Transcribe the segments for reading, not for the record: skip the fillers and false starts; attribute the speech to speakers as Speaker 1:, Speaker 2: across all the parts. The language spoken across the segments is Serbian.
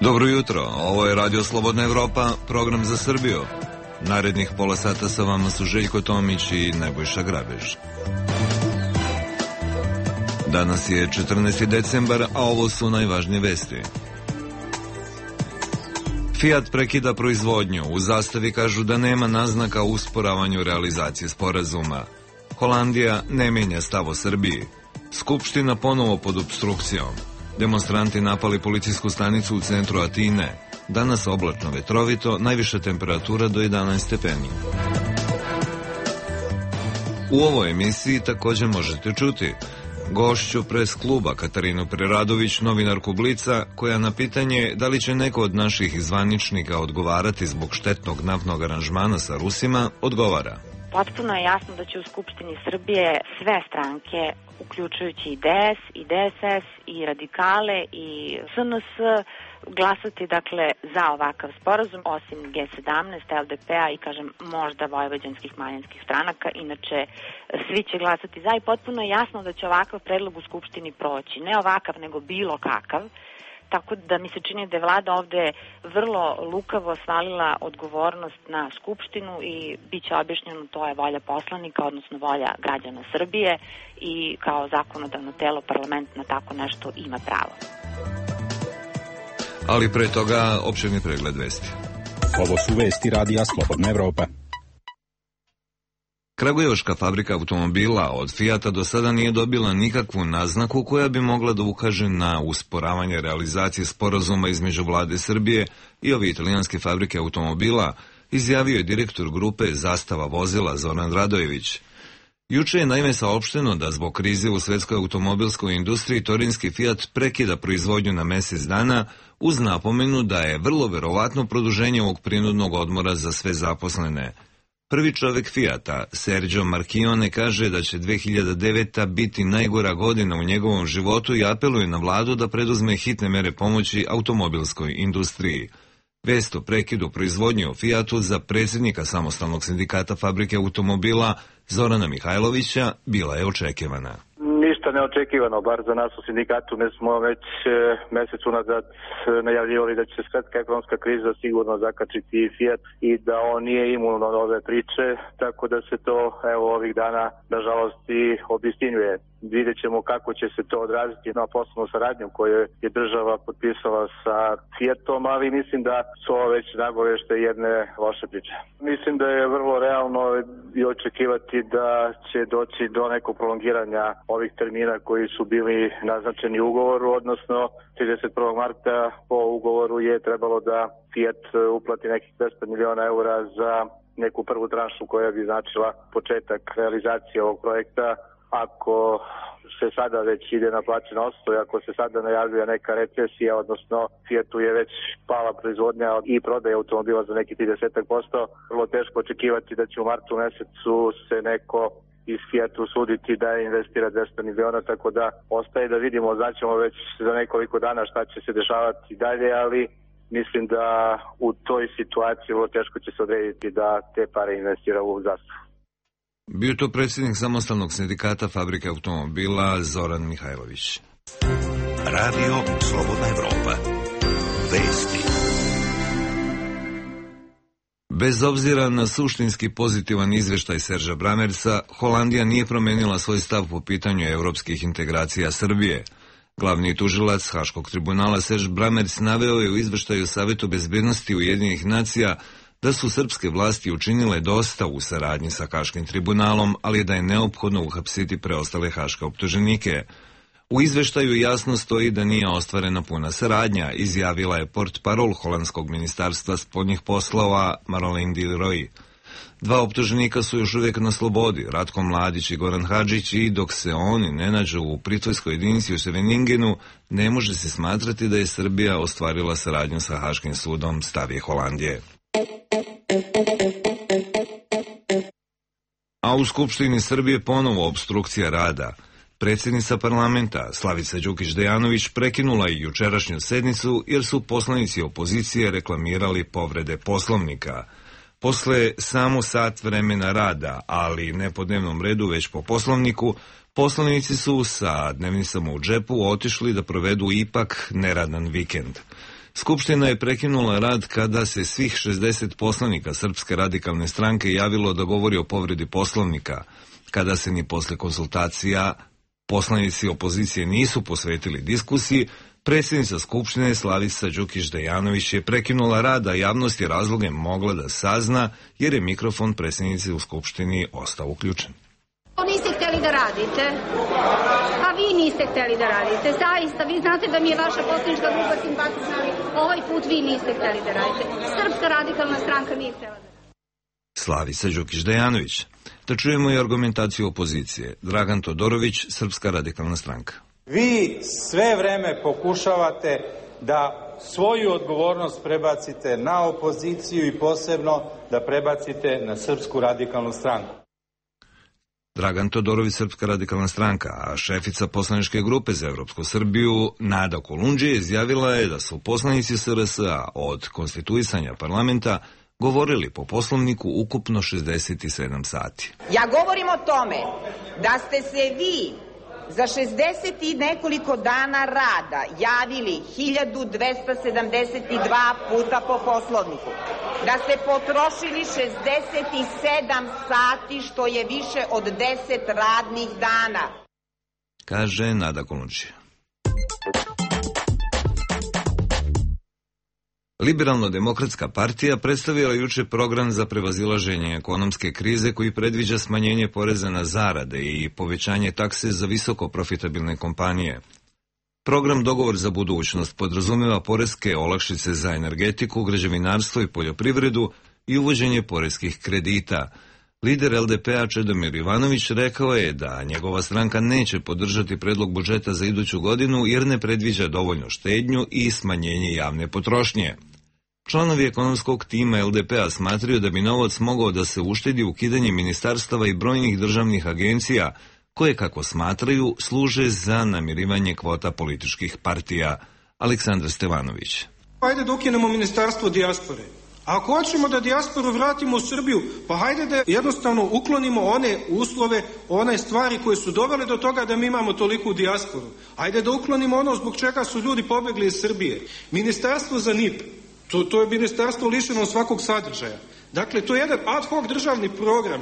Speaker 1: Dobro jutro, ovo je Radio Slobodna Evropa, program za Srbiju. Narednih pola sata sa vama su Željko Tomić i Nebojša Grabež. Danas je 14. decembar, a ovo su najvažnije vesti. Fiat prekida proizvodnju, u zastavi kažu da nema naznaka o usporavanju realizacije sporazuma. Holandija ne menja stav o Srbiji. Skupština ponovo pod opstrukcijom. Demonstranti napali policijsku stanicu u centru Atine. Danas oblačno vetrovito, najviša temperatura do 11 stepeni. U ovoj emisiji također možete čuti gošću pres kluba Katarinu Preradović, novinarku Blica, koja na pitanje da li će neko od naših zvaničnika odgovarati zbog štetnog naftnog aranžmana sa Rusima, odgovara.
Speaker 2: Potpuno je jasno da će u Skupštini Srbije sve stranke, uključujući i DS, i DSS, i radikale, i SNS, glasati dakle za ovakav sporazum, osim G17, LDP-a i kažem možda vojvođanskih manjinskih stranaka, inače svi će glasati za i potpuno je jasno da će ovakav predlog u Skupštini proći, ne ovakav nego bilo kakav. Tako da mi se čini da je vlada ovde vrlo lukavo svalila odgovornost na Skupštinu i bit će objašnjeno to je volja poslanika, odnosno volja građana Srbije i kao zakonodavno telo parlament na tako nešto ima pravo.
Speaker 1: Ali pre toga opširni pregled vesti.
Speaker 3: Ovo su vesti Radija Slobodna Evropa.
Speaker 1: Kragujevačka fabrika automobila od Fijata do sada nije dobila nikakvu naznaku koja bi mogla da ukaže na usporavanje realizacije sporazuma između vlade Srbije i ove italijanske fabrike automobila, izjavio je direktor grupe Zastava vozila Zoran Radojević. Juče je naime saopšteno da zbog krize u svetskoj automobilskoj industriji torinski Fiat prekida proizvodnju na mesec dana uz napomenu da je vrlo verovatno produženje ovog prinudnog odmora za sve zaposlene. Prvi čovek Fijata, Sergio Marchione, kaže da će 2009. biti najgora godina u njegovom životu i apeluje na vladu da preduzme hitne mere pomoći automobilskoj industriji. Vest o prekidu proizvodnje u Fijatu za predsjednika samostalnog sindikata fabrike automobila Zorana Mihajlovića bila je očekivana.
Speaker 4: Ništa neočekivano, bar za nas u sindikatu. Mi smo već mesec unazad najavljivali da će svetska ekonomska kriza sigurno zakačiti i Fiat i da on nije imun od ove priče, tako da se to evo ovih dana nažalost i obistinjuje. Vidjet ćemo kako će se to odraziti na poslovnu saradnju koju je država potpisala sa Fiatom, ali mislim da su ovo već nagovešte jedne loše priče. Mislim da je vrlo realno i očekivati da će doći do nekog prolongiranja ovih termina koji su bili naznačeni u ugovoru, odnosno 31. marta po ugovoru je trebalo da Fiat uplati nekih 200 miliona eura za neku prvu tranšu koja bi značila početak realizacije ovog projekta. Ako se sada već ide na plaćen osnov, ako se sada najavljuje neka recesija, odnosno Fiatu je već pala proizvodnja i prodaja automobila za neki 30%, vrlo teško očekivati da će u martu mesecu se neko iz Fiatu suditi da investira 200 miliona, tako da ostaje da vidimo, znaćemo već za nekoliko dana šta će se dešavati dalje, ali mislim da u toj situaciji vrlo teško će se odrediti da te pare investira u zastavu.
Speaker 1: Bio to predsjednik samostalnog sindikata fabrike automobila Zoran Mihajlović.
Speaker 3: Radio Slobodna Evropa. Vesti.
Speaker 1: Bez obzira na suštinski pozitivan izveštaj Serža Bramersa, Holandija nije promenila svoj stav po pitanju evropskih integracija Srbije. Glavni tužilac Haškog tribunala Serž Bramers naveo je u izveštaju Savetu bezbednosti Ujedinjenih nacija da su srpske vlasti učinile dosta u saradnji sa Haškim tribunalom, ali da je neophodno uhapsiti preostale haške optuženike. U izveštaju jasno stoji da nije ostvarena puna saradnja, izjavila je portparol holandskog ministarstva spoljnih poslova Marolijn de Rooij. Dva optuženika su još uvijek na slobodi, Ratko Mladić i Goran Hadžić, i dok se oni ne nađu u pritvorskoj jedinici u Scheveningenu, ne može se smatrati da je Srbija ostvarila saradnju sa Haškim sudom, stav je Holandije. A u Skupštini Srbije ponovo opstrukcija rada. Predsjednica parlamenta Slavica Đukić-Dejanović prekinula i jučerašnju sednicu jer su poslanici opozicije reklamirali povrede Poslovnika. Posle samo sat vremena rada, ali ne po dnevnom redu, već po poslovniku, poslanici su sa dnevnicama u džepu otišli da provedu ipak neradan vikend. Skupština je prekinula rad kada se svih 60 poslanika Srpske radikalne stranke javilo da govori o povredi poslovnika, kada se ni posle konsultacija poslanici opozicije nisu posvetili diskusiji. Predsjednica Skupštine Slavica Đukić-Dejanović je prekinula rad, a javnost je razloge mogla da sazna jer je mikrofon predsjednice u Skupštini ostao uključen.
Speaker 5: Niste hteli da radite, a vi niste hteli da radite, zaista, vi znate da mi je vaša poslanička grupa simpatična, ali ovaj put vi niste hteli da radite. Srpska radikalna stranka nije htela da radite.
Speaker 1: Slavica Đukić-Dejanović. Da čujemo i argumentaciju opozicije. Dragan Todorović, Srpska radikalna stranka.
Speaker 6: Vi sve vreme pokušavate da svoju odgovornost prebacite na opoziciju i posebno da prebacite na Srpsku radikalnu stranku.
Speaker 1: Dragan Todorović, Srpska radikalna stranka, a šefica poslaničke grupe za Evropsku Srbiju Nada Kolundžija izjavila je da su poslanici SRS-a od konstituisanja parlamenta govorili po poslovniku ukupno 67 sati.
Speaker 7: Ja govorim o tome da ste se vi za 60 i nekoliko dana rada javili 1272 puta po poslovniku, da ste potrošili 67 sati, što je više od 10 radnih dana,
Speaker 1: kaže Nada Kolundžija. Liberalno-demokratska partija predstavila juče program za prevazilaženje ekonomske krize koji predviđa smanjenje poreza na zarade i povećanje takse za visoko profitabilne kompanije. Program Dogovor za budućnost podrazumeva poreske olakšice za energetiku, građevinarstvo i poljoprivredu i uvođenje poreskih kredita. Lider LDP-a Čedomir Ivanović rekao je da njegova stranka neće podržati predlog budžeta za iduću godinu jer ne predviđa dovoljno štednju i smanjenje javne potrošnje. Članovi ekonomskog tima LDP-a smatraju da bi novac mogao da se uštedi ukidanjem ministarstava i brojnih državnih agencija koje, kako smatraju, služe za namirivanje kvota političkih partija. Aleksandar Stevanović.
Speaker 8: Hajde da ukinemo ministarstvo dijaspore. A ako hoćemo da dijasporu vratimo u Srbiju, pa hajde da jednostavno uklonimo one uslove, one stvari koje su dovele do toga da mi imamo toliku dijasporu. Hajde da uklonimo ono zbog čega su ljudi pobegli iz Srbije. Ministarstvo za NIP, to je ministarstvo lišeno svakog sadržaja. Dakle, to je jedan ad hoc državni program,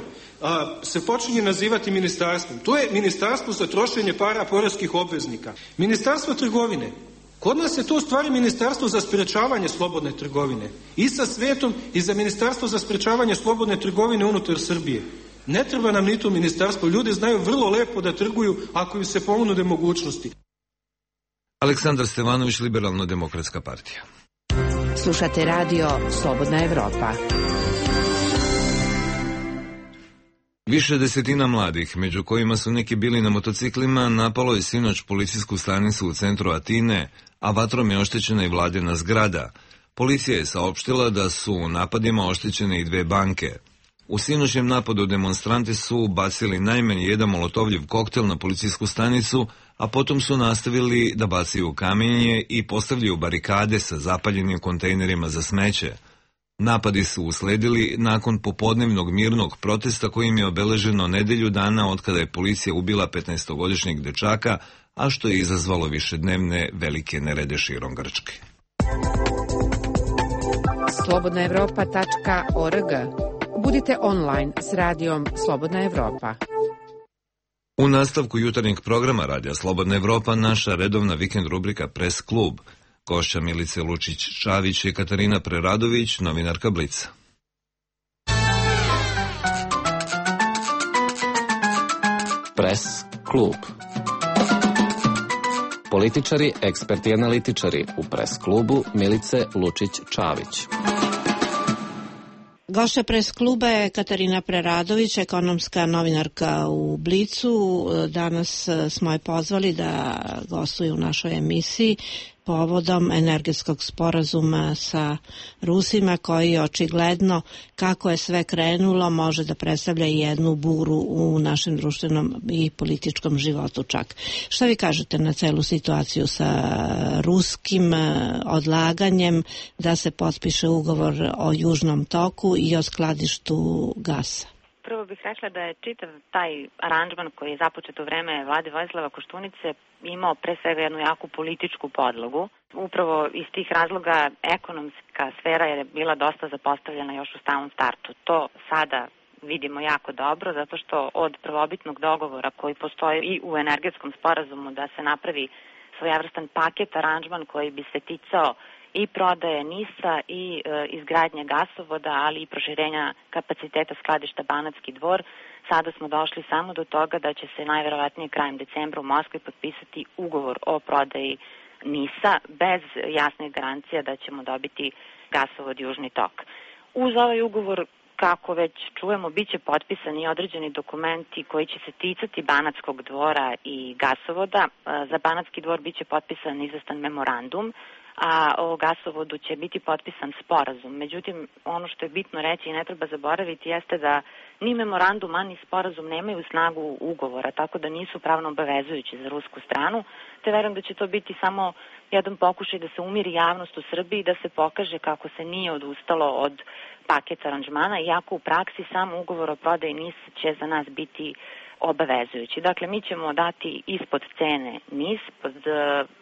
Speaker 8: se počinje nazivati ministarstvom. To je ministarstvo za trošenje para poreskih obveznika. Ministarstvo trgovine. Kod nas je to u stvari ministarstvo za sprečavanje slobodne trgovine. I sa svetom i za ministarstvo za sprečavanje slobodne trgovine unutar Srbije. Ne treba nam ni to ministarstvo. Ljudi znaju vrlo lepo da trguju ako im se ponude mogućnosti.
Speaker 1: Aleksandar Stevanović, Liberalno-demokratska partija.
Speaker 9: Slušate radio Slobodna Evropa.
Speaker 1: Više desetina mladih, među kojima su neki bili na motociklima, napalo je sinoć policijsku stanicu u centru Atine, a vatrom je oštećena i vladina zgrada. Policija je saopštila da su u napadima oštećene i 2 banke. U sinoćnjem napadu demonstranti su bacili najmanje jedan molotovljev koktel na policijsku stanicu, a potom su nastavili da bacaju kamenje i postavljaju barikade sa zapaljenim kontejnerima za smeće. Napadi su usledili nakon popodnevnog mirnog protesta kojim je obeleženo nedelju dana od kada je policija ubila 15-godišnjeg dečaka, a što je izazvalo višednevne velike nerede širom Grčke.
Speaker 9: slobodnaevropa.org. Budite online s radijom Slobodna Evropa.
Speaker 1: U nastavku jutarnjeg programa Radija Slobodna Evropa naša redovna vikend rubrika Press klub. Gošća Milice Lučić-Čavić i Katarina Preradović, novinarka Blica.
Speaker 10: Press klub. Političari, eksperti i analitičari u Press klubu Milice Lučić-Čavić.
Speaker 11: Gošća Press kluba je Katarina Preradović, ekonomska novinarka u Blicu. Danas smo je pozvali da gostuje u našoj emisiji povodom energetskog sporazuma sa Rusima, koji očigledno, kako je sve krenulo, može da predstavlja i jednu buru u našem društvenom i političkom životu čak. Šta vi kažete na celu situaciju sa ruskim odlaganjem da se potpiše ugovor o Južnom toku i o skladištu gasa?
Speaker 2: Prvo bih rekla da je čitav taj aranžman koji je započet u vreme vlade Vojislava Koštunice imao pre svega jednu jaku političku podlogu. Upravo iz tih razloga ekonomska sfera je bila dosta zapostavljena još u samom startu. To sada vidimo jako dobro, zato što od prvobitnog dogovora koji postoji i u energetskom sporazumu da se napravi svojevrstan paket aranžman koji bi se ticao i prodaje NIS-a i izgradnje gasovoda, ali i proširenja kapaciteta skladišta Banatski Dvor. Sada smo došli samo do toga da će se najverovatnije krajem decembra u Moskvi potpisati ugovor o prodaji NIS-a bez jasnih garancija da ćemo dobiti gasovod Južni tok. Uz ovaj ugovor, kako već čujemo, bit će potpisani određeni dokumenti koji će se ticati Banatskog dvora i gasovoda. Za Banatski dvor bit će potpisan izvestan memorandum, a o gasovodu će biti potpisan sporazum. Međutim, ono što je bitno reći i ne treba zaboraviti jeste da ni memorandum, ni sporazum nemaju snagu ugovora, tako da nisu pravno obavezujući za rusku stranu, te verujem da će to biti samo jedan pokušaj da se umiri javnost u Srbiji i da se pokaže kako se nije odustalo od paketa aranžmana, iako u praksi sam ugovor o prodaji NIS će za nas biti obavezujući. Dakle, mi ćemo dati ispod cene NIS pod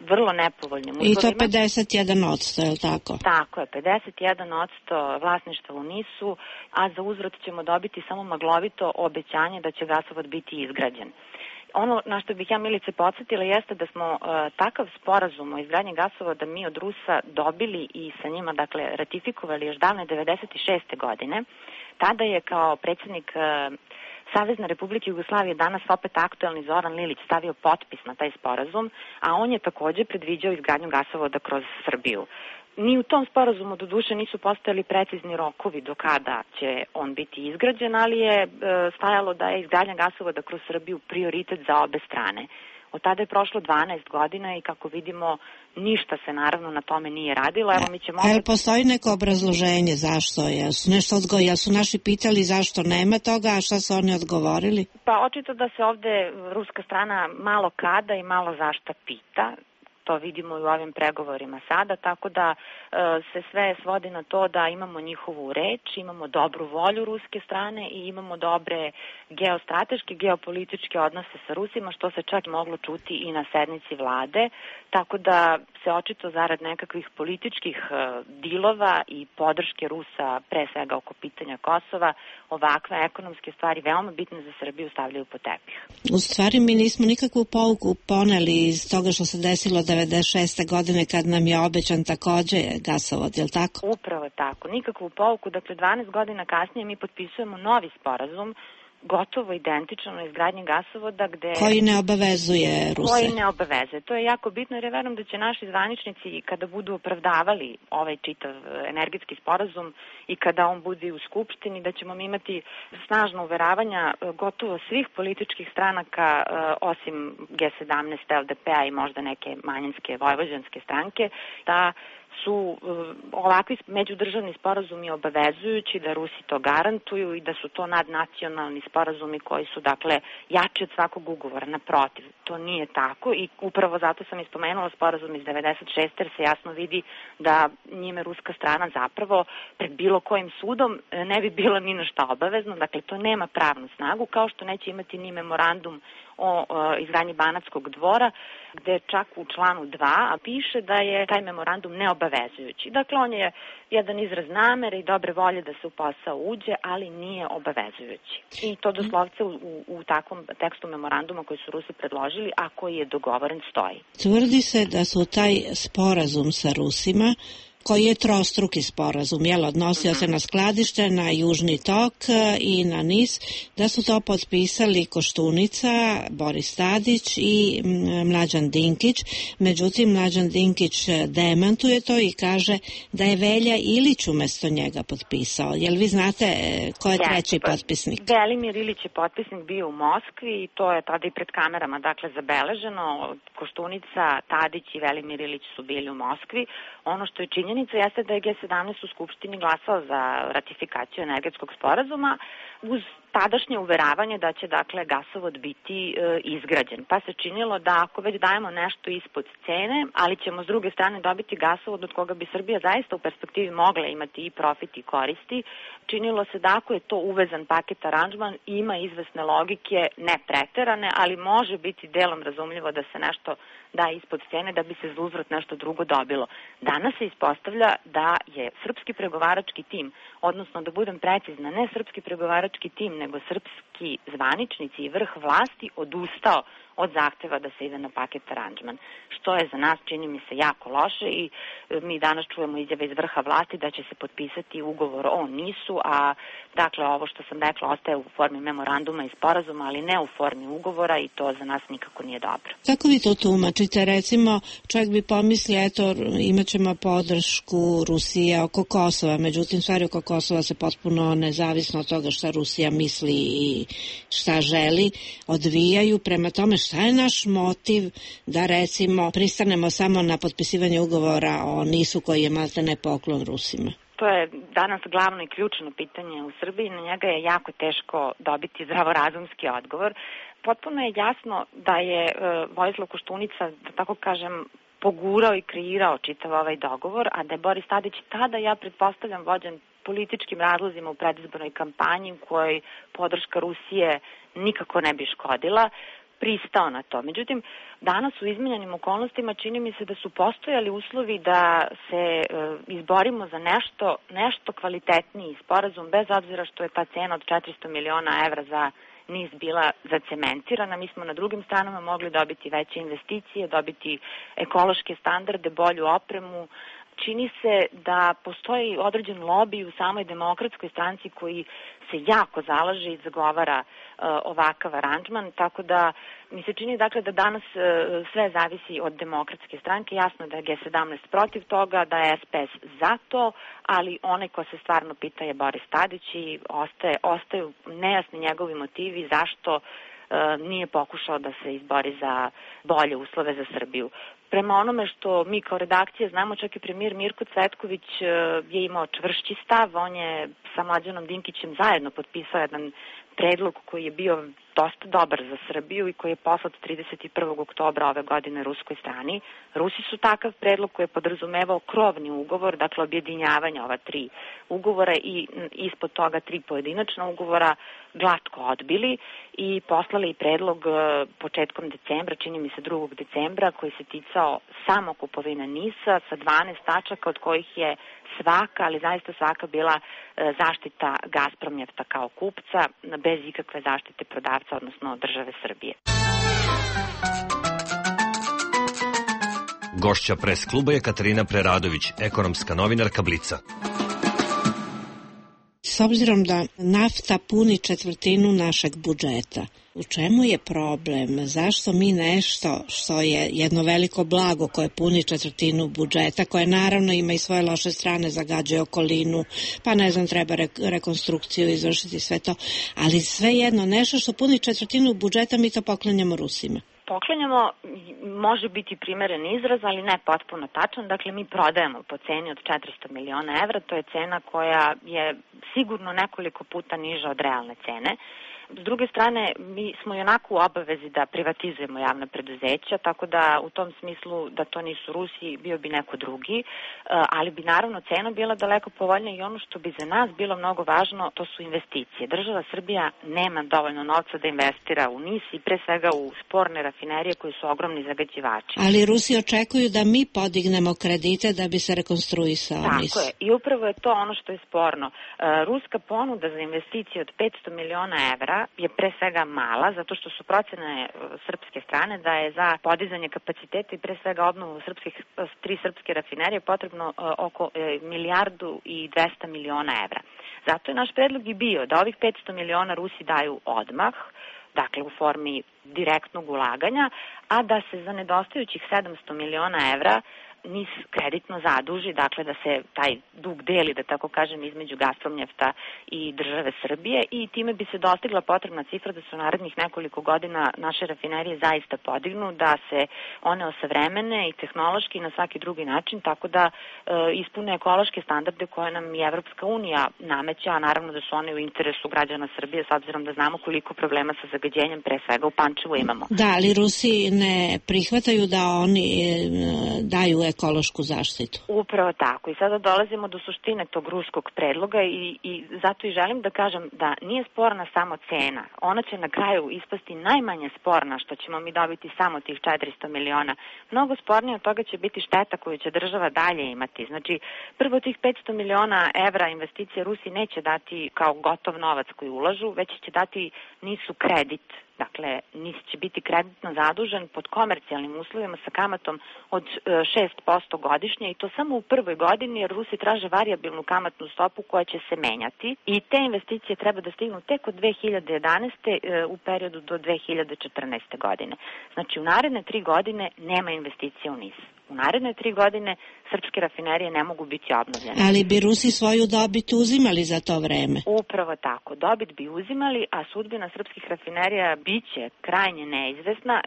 Speaker 2: vrlo nepovoljnim uslovima.
Speaker 11: I to 51%, je li tako?
Speaker 2: Tako je, 51% vlasništva u NIS-u, a za uzvrat ćemo dobiti samo maglovito obećanje da će gasovod biti izgrađen. Ono na što bih ja, Milice, podsjetila jeste da smo takav sporazum o izgradnji gasovoda mi od Rusa dobili i sa njima, dakle, ratifikovali još davne 96. godine. Tada je kao predsjednik Savezne Republike Jugoslavije, danas opet aktuelni Zoran Lilić, stavio potpis na taj sporazum, a on je također predviđao izgradnju gasovoda kroz Srbiju. Ni u tom sporazumu do duše nisu postojali precizni rokovi do kada će on biti izgrađen, ali je stajalo da je izgradnja gasovoda kroz Srbiju prioritet za obe strane. Od tada je prošlo 12 godina i kako vidimo ništa se naravno na tome nije radilo. Evo, mi ćemo opet...
Speaker 11: Ali postoji neko obrazloženje zašto? Jesu naši pitali zašto nema toga, a šta su oni odgovorili?
Speaker 2: Pa očito da se ovde ruska strana malo kada i malo zašta pita. To vidimo i u ovim pregovorima sada, tako da se sve svodi na to da imamo njihovu reč, imamo dobru volju ruske strane i imamo dobre geostrateške, geopolitičke odnose sa Rusima, što se čak moglo čuti i na sednici vlade, tako da se očito zarad nekakvih političkih dilova i podrške Rusa, pre svega oko pitanja Kosova, ovakve ekonomske stvari veoma bitne za Srbiju stavljaju po tepih.
Speaker 11: U stvari mi nismo nikakvu pouku poneli iz toga što se desilo 96. godine kad nam je obećan takođe gasovod, je li tako?
Speaker 2: Upravo tako, nikakvu pouku. Dakle, 12 godina kasnije mi potpisujemo novi sporazum, gotovo identično na izgradnji gasovoda gde...
Speaker 11: Koji ne obavezuje Ruse.
Speaker 2: Koji ne obavezuje. To je jako bitno jer ja verujem da će naši zvaničnici kada budu opravdavali ovaj čitav energetski sporazum i kada on bude u Skupštini, da ćemo imati snažno uveravanja gotovo svih političkih stranaka osim G17, LDP-a i možda neke manjinske vojvođanske stranke, da su ovakvi međudržavni sporazumi obavezujući, da Rusi to garantuju i da su to nadnacionalni sporazumi koji su, dakle, jači od svakog ugovora. Naprotiv, to nije tako i upravo zato sam ispomenula sporazum iz 96. jer se jasno vidi da njime ruska strana zapravo pred bilo kojim sudom ne bi bilo ni na šta obavezno. Dakle, to nema pravnu snagu, kao što neće imati ni memorandum o izgradnji Banatskog dvora, gde čak u članu 2 piše da je taj memorandum neobavezujući. Dakle, on je jedan izraz namere i dobre volje da se u posao uđe, ali nije obavezujući. I to doslovce u takvom tekstu memoranduma koji su Rusi predložili, a koji je dogovoren, stoji.
Speaker 11: Tvrdi se da su taj sporazum sa Rusima koji je trostruki sporazum, odnosio se na skladište, na Južni tok i na NIS, da su to potpisali Koštunica, Boris Tadić i Mlađan Dinkić. Međutim, Mlađan Dinkić demantuje to i kaže da je Velja Ilić umesto njega potpisao. Jel vi znate ko je treći potpisnik?
Speaker 2: Velimir Ilić je potpisnik bio u Moskvi i to je tada i pred kamerama zabeleženo. Koštunica, Tadić i Velimir Ilić su bili u Moskvi. Ono što je činjenica jeste da je G17 u Skupštini glasao za ratifikaciju energetskog sporazuma uz tadašnje uveravanje da će gasovod biti izgrađen. Pa se činilo da ako već dajemo nešto ispod cene, ali ćemo s druge strane dobiti gasovod od koga bi Srbija zaista u perspektivi mogla imati i profit i koristi, činilo se da ako je to uvezan paket aranžman, ima izvesne logike, ne preterane, ali može biti delom razumljivo da se nešto da ispod cene da bi se za uzvrat nešto drugo dobilo. Danas se ispostavlja da je srpski pregovarački tim, odnosno da budem precizna, ne srpski pregovarački tim, nego srpski zvaničnici i vrh vlasti odustao od zahteva da se ide na paket aranžman, što je za nas, čini mi se, jako loše i mi danas čujemo izjave iz vrha vlasti da će se potpisati ugovor o NIS-u, a ovo što sam rekla ostaje u formi memoranduma i sporazuma, ali ne u formi ugovora i to za nas nikako nije dobro.
Speaker 11: Kako vi to tumačite? Recimo, čovjek bi pomislio, imat ćemo podršku Rusije oko Kosova, međutim, stvari oko Kosova se potpuno nezavisno od toga šta Rusija misli i šta želi, odvijaju. Prema tome, šta je naš motiv da, recimo, pristanemo samo na potpisivanje ugovora o NIS-u koji je maltene poklon Rusima?
Speaker 2: To je danas glavno i ključno pitanje u Srbiji, na njega je jako teško dobiti zdravorazumski odgovor. Potpuno je jasno da je Vojislav Koštunica, da tako kažem, pogurao i kreirao čitav ovaj dogovor, a da je Boris Tadić tada, ja pretpostavljam, vođen političkim razlozima u predizbornoj kampanji u kojoj podrška Rusije nikako ne bi škodila, pristao na to. Međutim, danas u izmenjenim okolnostima čini mi se da su postojali uslovi da se izborimo za nešto kvalitetniji sporazum, bez obzira što je ta cena od 400 miliona evra za NIS bila zacementirana. Mi smo na drugim stranama mogli dobiti veće investicije, dobiti ekološke standarde, bolju opremu. Čini se da postoji određen lobij u samoj Demokratskoj stranci koji se jako zalaže i zagovara ovakav aranžman, tako da mi se čini da danas sve zavisi od Demokratske stranke. Jasno da je G17 protiv toga, da je SPS za to, ali onaj ko se stvarno pita je Boris Tadić i ostaju nejasni njegovi motivi zašto nije pokušao da se izbori za bolje uslove za Srbiju. Prema onome što mi kao redakcija znamo, čak i premijer Mirko Cvetković je imao čvršći stav, on je sa Mlađanom Dinkićem zajedno potpisao jedan predlog koji je bio dosta dobar za Srbiju i koji je poslat 31. oktobra ove godine ruskoj strani. Rusi su takav predlog koji je podrazumevao krovni ugovor, dakle objedinjavanje ova 3 ugovora i ispod toga 3 pojedinačna ugovora glatko odbili i poslali predlog početkom decembra, čini mi se 2. decembra, koji se ticao samo kupovine NIS-a sa 12 tačaka od kojih je svaka, ali zaista svaka bila zaštita Gazpromnjefta kao kupca, bez ikakve zaštite prodavca, odnosno države Srbije.
Speaker 12: Gošća pres kluba je Katarina Preradović, ekonomska novinarka Blica.
Speaker 11: S obzirom da nafta puni 1/4 našeg budžeta, u čemu je problem? Zašto mi nešto što je jedno veliko blago koje puni 1/4 budžeta, koje naravno ima i svoje loše strane, zagađuje okolinu, pa treba rekonstrukciju izvršiti sve to, ali svejedno nešto što puni 1/4 budžeta mi to poklanjamo Rusima.
Speaker 2: Poklanjamo, može biti primeren izraz, ali ne potpuno tačan. Dakle, mi prodajemo po ceni od 400 miliona evra. To je cena koja je sigurno nekoliko puta niža od realne cene. S druge strane, mi smo i onako u obavezi da privatizujemo javna preduzeća, tako da u tom smislu da to nisu Rusi, bio bi neko drugi, ali bi naravno cena bila daleko povoljnija i ono što bi za nas bilo mnogo važno, to su investicije. Država Srbija nema dovoljno novca da investira u NIS i pre svega u sporne rafinerije koji su ogromni zagađivači.
Speaker 11: Ali Rusi očekuju da mi podignemo kredite da bi se rekonstruisao NIS.
Speaker 2: Tako je, i upravo je to ono što je sporno. Ruska ponuda za investicije od 500 miliona evra cifra je pre svega mala, zato što su procene srpske strane da je za podizanje kapaciteta i pre svega obnovu tri srpske rafinerije potrebno oko 1,2 milijarde evra. Zato je naš predlog i bio da ovih 500 miliona Rusi daju odmah, dakle u formi direktnog ulaganja, a da se za nedostajućih 700 miliona evra NIS kreditno zaduži, dakle da se taj dug deli, da tako kažem, između Gazpromnjefta i države Srbije i time bi se dostigla potrebna cifra da se u narednih nekoliko godina naše rafinerije zaista podignu, da se one osavremene i tehnološki i na svaki drugi način, tako da ispune ekološke standarde koje nam i Evropska unija nameća, a naravno da su one u interesu građana Srbije s obzirom da znamo koliko problema sa zagađenjem pre svega u Pančevu imamo.
Speaker 11: Da, ali Rusi ne prihvataju da oni daju ekološku zaštitu.
Speaker 2: Upravo tako. I sada dolazimo do suštine tog ruskog predloga i zato i želim da kažem da nije sporna samo cena. Ona će na kraju ispasti najmanje sporna što ćemo mi dobiti samo tih 400 miliona. Mnogo spornije od toga će biti šteta koju će država dalje imati. Znači, prvo tih 500 miliona evra investicije Rusi neće dati kao gotov novac koji ulažu, već će dati NIS-u kredit. Dakle, NIS će biti kreditno zadužen pod komercijalnim uslovima sa kamatom od 6% godišnje i to samo u prvoj godini jer Rusi traže varijabilnu kamatnu stopu koja će se menjati i te investicije treba da stignu tek od 2011. U periodu do 2014. godine. Znači, u naredne 3 godine nema investicija u NIS. U naredne 3 godine srpske rafinerije ne mogu biti obnovljene.
Speaker 11: Ali bi Rusi svoju dobit uzimali za to vreme?
Speaker 2: Upravo tako. Dobit bi uzimali, a sudbina srpskih rafinerija biće krajnje neizvesna,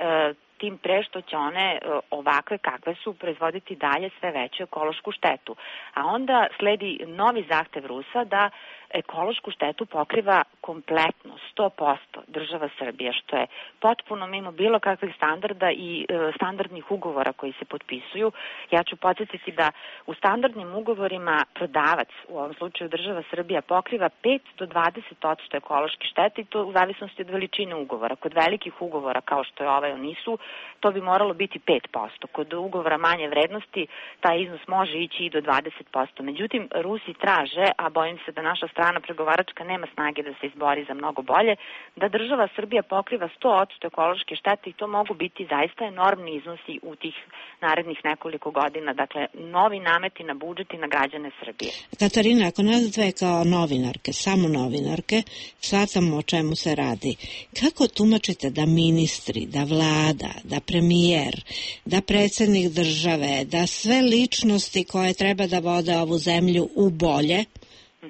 Speaker 2: tim pre što će one ovakve kakve su proizvoditi dalje sve veću ekološku štetu. A onda sledi novi zahtev Rusa da ekološku štetu pokriva kompletno, 100% država Srbija, što je potpuno mimo bilo kakvih standarda i standardnih ugovora koji se potpisuju. Ja ću podsjetiti da u standardnim ugovorima prodavac, u ovom slučaju država Srbija, pokriva 5 do 20% ekološke štete i to u zavisnosti od veličine ugovora. Kod velikih ugovora, kao što je ovaj o NIS-u, to bi moralo biti 5%. Kod ugovora manje vrednosti, taj iznos može ići i do 20%. Međutim, Rusi traže, a bojim se da naša strana pregovaračka nema snage da se izbori za mnogo bolje, da država Srbija pokriva 100% ekološke štete i to mogu biti zaista enormni iznosi u tih narednih nekoliko godina. Dakle, novi nameti na budžet i na građane Srbije.
Speaker 11: Katarina, ako nas dve kao novinarke, samo novinarke, shvatamo o čemu se radi. Kako tumačite da ministri, da vlada, da premijer, da predsjednik države, da sve ličnosti koje treba da vode ovu zemlju u bolje,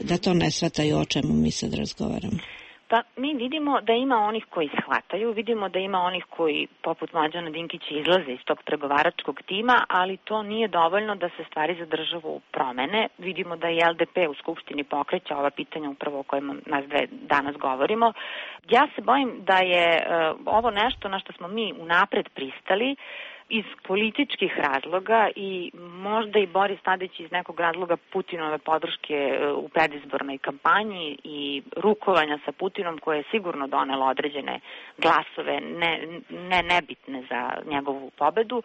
Speaker 11: da to ne shvataju o čemu mi sad razgovaramo?
Speaker 2: Pa mi vidimo da ima onih koji shvataju, vidimo da ima onih koji poput Mlađana Dinkića izlaze iz tog pregovaračkog tima, ali to nije dovoljno da se stvari za državu promene. Vidimo da i LDP u Skupštini pokreće ova pitanja upravo o kojima nas dve danas govorimo. Ja se bojim da je ovo nešto na što smo mi unapred pristali iz političkih razloga i možda i Boris Tadić iz nekog razloga Putinove podrške u predizbornoj kampanji i rukovanja sa Putinom koje je sigurno donelo određene glasove nebitne za njegovu pobedu.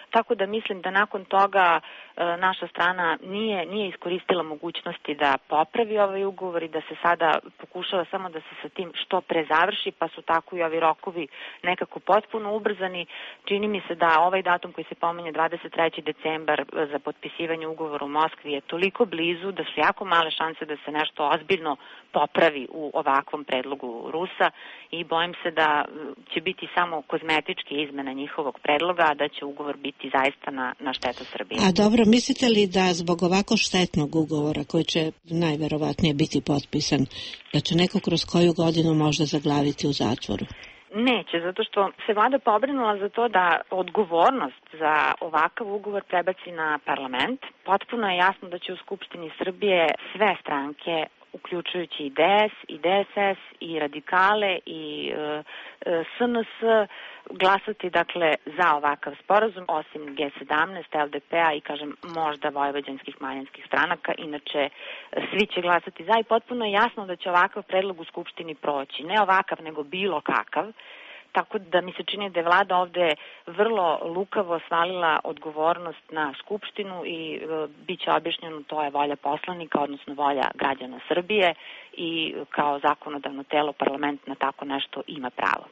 Speaker 2: Tako da mislim da nakon toga naša strana nije iskoristila mogućnosti da popravi ovaj ugovor i da se sada pokušava samo da se sa tim što pre završi, pa su tako i ovi rokovi nekako potpuno ubrzani. Čini mi se da ovaj datum koji se pominje 23. decembar za potpisivanje ugovora u Moskvi je toliko blizu da su jako male šanse da se nešto ozbiljno popravi u ovakvom predlogu Rusa i bojim se da će biti samo kozmetičke izmene njihovog predloga, a da će ugovor biti zaista na štetu Srbije.
Speaker 11: A dobro, mislite li da zbog ovako štetnog ugovora koji će najverovatnije biti potpisan, da će neko kroz koju godinu možda zaglaviti u zatvoru?
Speaker 2: Neće, zato što se vlada pobrinula za to da odgovornost za ovakav ugovor prebaci na parlament. Potpuno je jasno da će u Skupštini Srbije sve stranke, uključujući i DS, i DSS, i radikale, i SNS, glasati dakle za ovakav sporazum, osim G17, LDP-a i kažem možda vojvođanskih manjinskih stranaka, inače svi će glasati za i potpuno je jasno da će ovakav predlog u Skupštini proći. Ne ovakav, nego bilo kakav. tako da mi se čini da je vlada ovde vrlo lukavo svalila odgovornost na Skupštinu i bit će objašnjeno, to je volja poslanika, odnosno volja građana Srbije i kao zakonodavno telo parlament na tako nešto ima pravo.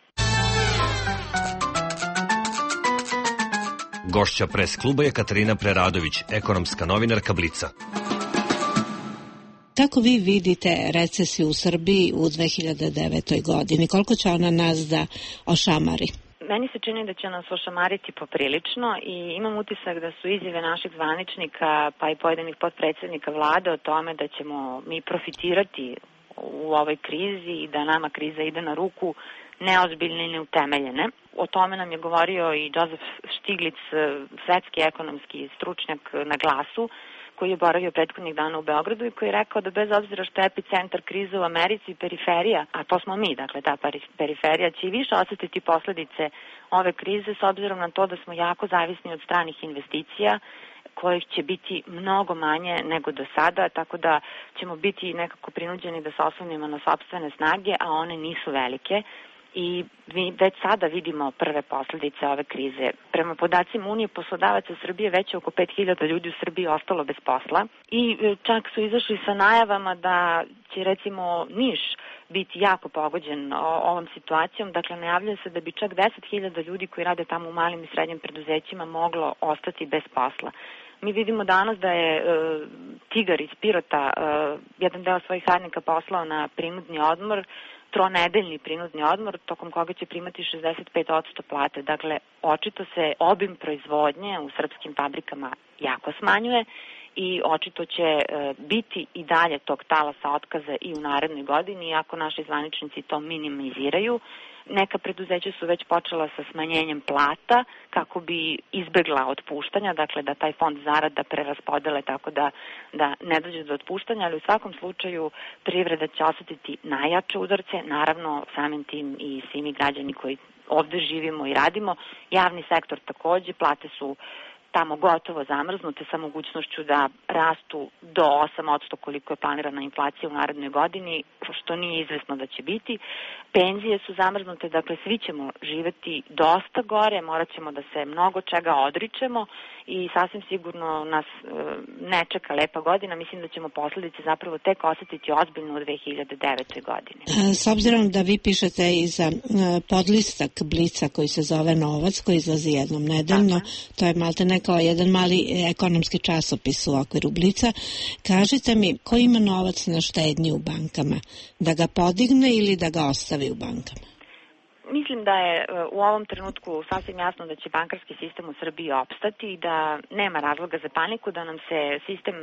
Speaker 12: Gošća pres kluba je Katarina Preradović, ekonomska novinarka Blica.
Speaker 11: Kako vi vidite recesiju u Srbiji u 2009. godini? Koliko će ona nas da ošamari?
Speaker 2: Meni se čini da će nas ošamariti poprilično i imam utisak da su izjave naših zvaničnika pa i pojedinih potpredsednika vlade o tome da ćemo mi profitirati u ovoj krizi i da nama kriza ide na ruku neozbiljne i neutemeljene. O tome nam je govorio i Joseph Stiglitz, svetski ekonomski stručnjak na Glasu, koji je boravio prethodnih dana u Beogradu i koji je rekao da bez obzira što je epicentar krize u Americi i periferija, a to smo mi, dakle ta periferija će i više osetiti posledice ove krize s obzirom na to da smo jako zavisni od stranih investicija kojih će biti mnogo manje nego do sada, tako da ćemo biti nekako prinuđeni da se oslonimo na sopstvene snage, a one nisu velike. I mi već sada vidimo prve posledice ove krize. Prema podacima Unije poslodavaca Srbije već oko 5.000 ljudi u Srbiji ostalo bez posla i čak su izašli sa najavama da će recimo Niš biti jako pogođen ovom situacijom. Dakle, najavljuje se da bi čak 10.000 ljudi koji rade tamo u malim i srednjim preduzećima moglo ostati bez posla. Mi vidimo danas da je Tigar iz Pirota jedan deo svojih radnika poslao na prinudni odmor, tronedeljni prinudni odmor, tokom koga će primati 65% plate. Dakle, očito se obim proizvodnje u srpskim fabrikama jako smanjuje i očito će biti i dalje tog talasa otkaza i u narednoj godini, iako naši zvaničnici to minimiziraju. Neka preduzeća su već počela sa smanjenjem plata kako bi izbegla otpuštanja, dakle da taj fond zarada preraspodele tako da ne dođe do otpuštanja, ali u svakom slučaju privreda će osetiti najjače udarce, naravno samim tim i svi mi građani koji ovde živimo i radimo. Javni sektor takođe, plate su tamo gotovo zamrznute sa mogućnošću da rastu do 8% koliko je planirana inflacija u narednoj godini, što nije izvesno da će biti. Penzije su zamrznute, dakle svi ćemo živeti dosta gore, morat ćemo da se mnogo čega odričemo i sasvim sigurno nas ne čeka lepa godina. Mislim da ćemo posledice zapravo tek osetiti ozbiljno u 2009. godini.
Speaker 11: S obzirom da vi pišete i za podlistak Blica koji se zove Novac, koji izlazi jednom nedeljno, to je maltene kao jedan mali ekonomski časopis u okviru Blica, kažite mi ko ima novac na štednji u bankama? Da ga podigne ili da ga ostavi u bankama?
Speaker 2: Mislim da je u ovom trenutku sasvim jasno da će bankarski sistem u Srbiji opstati i da nema razloga za paniku, da nam se sistem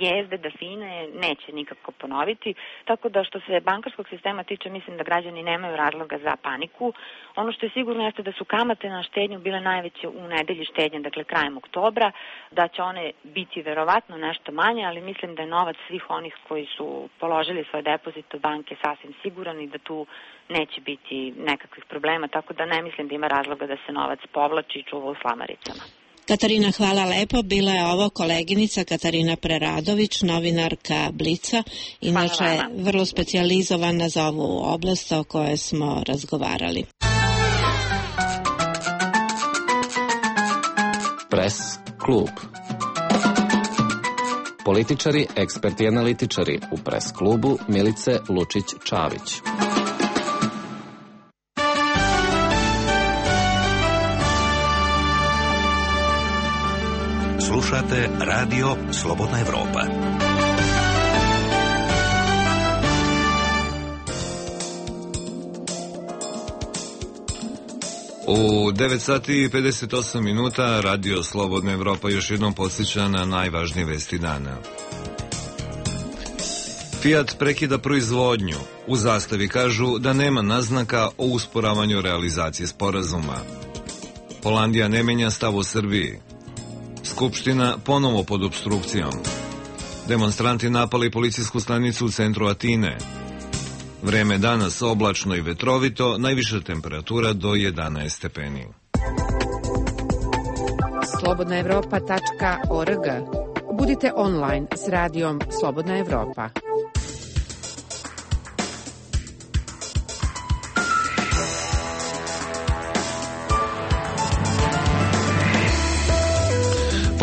Speaker 2: jezde, da fine neće nikako ponoviti, tako da što se bankarskog sistema tiče, mislim da građani nemaju razloga za paniku. Ono što je sigurno jeste da su kamate na štednju bile najveće u nedelji štednje, dakle krajem oktobra, da će one biti verovatno nešto manje, ali mislim da je novac svih onih koji su položili svoj depozit u banke sasvim siguran i da tu neće biti nekakvih problema, tako da ne mislim da ima razloga da se novac povlači i čuva u slamaricama.
Speaker 11: Katarina, hvala lepo. Bila je ovo koleginica Katarina Preradović, novinarka Blica, inače vrlo specijalizovana za ovu oblast o kojoj smo razgovarali.
Speaker 10: Pres klub. Političari, eksperti i analitičari u Pres klubu Milice Lučić-Čavić.
Speaker 3: Slušate Radio Slobodna Evropa.
Speaker 1: U 9 sati i 58 minuta Radio Slobodna Evropa još jednom podsjeća na najvažnije vesti dana. Fiat prekida proizvodnju. U zastavi kažu da nema naznaka o usporavanju realizacije sporazuma. Holandija ne menja stav u Srbiji. Skupština ponovo pod opstrukcijom. Demonstranti napali policijsku stanicu u centru Atine. Vreme danas oblačno i vetrovito, najviša temperatura do 11 stepeni.
Speaker 9: slobodnaevropa.org. Budite online s radijom Slobodna Evropa.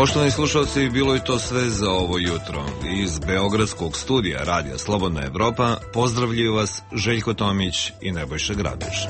Speaker 1: Poštovani slušalci, bilo je to sve za ovo jutro. Iz Beogradskog studija Radija Slobodna Evropa pozdravljaju vas Željko Tomić i Nebojša Grabiš.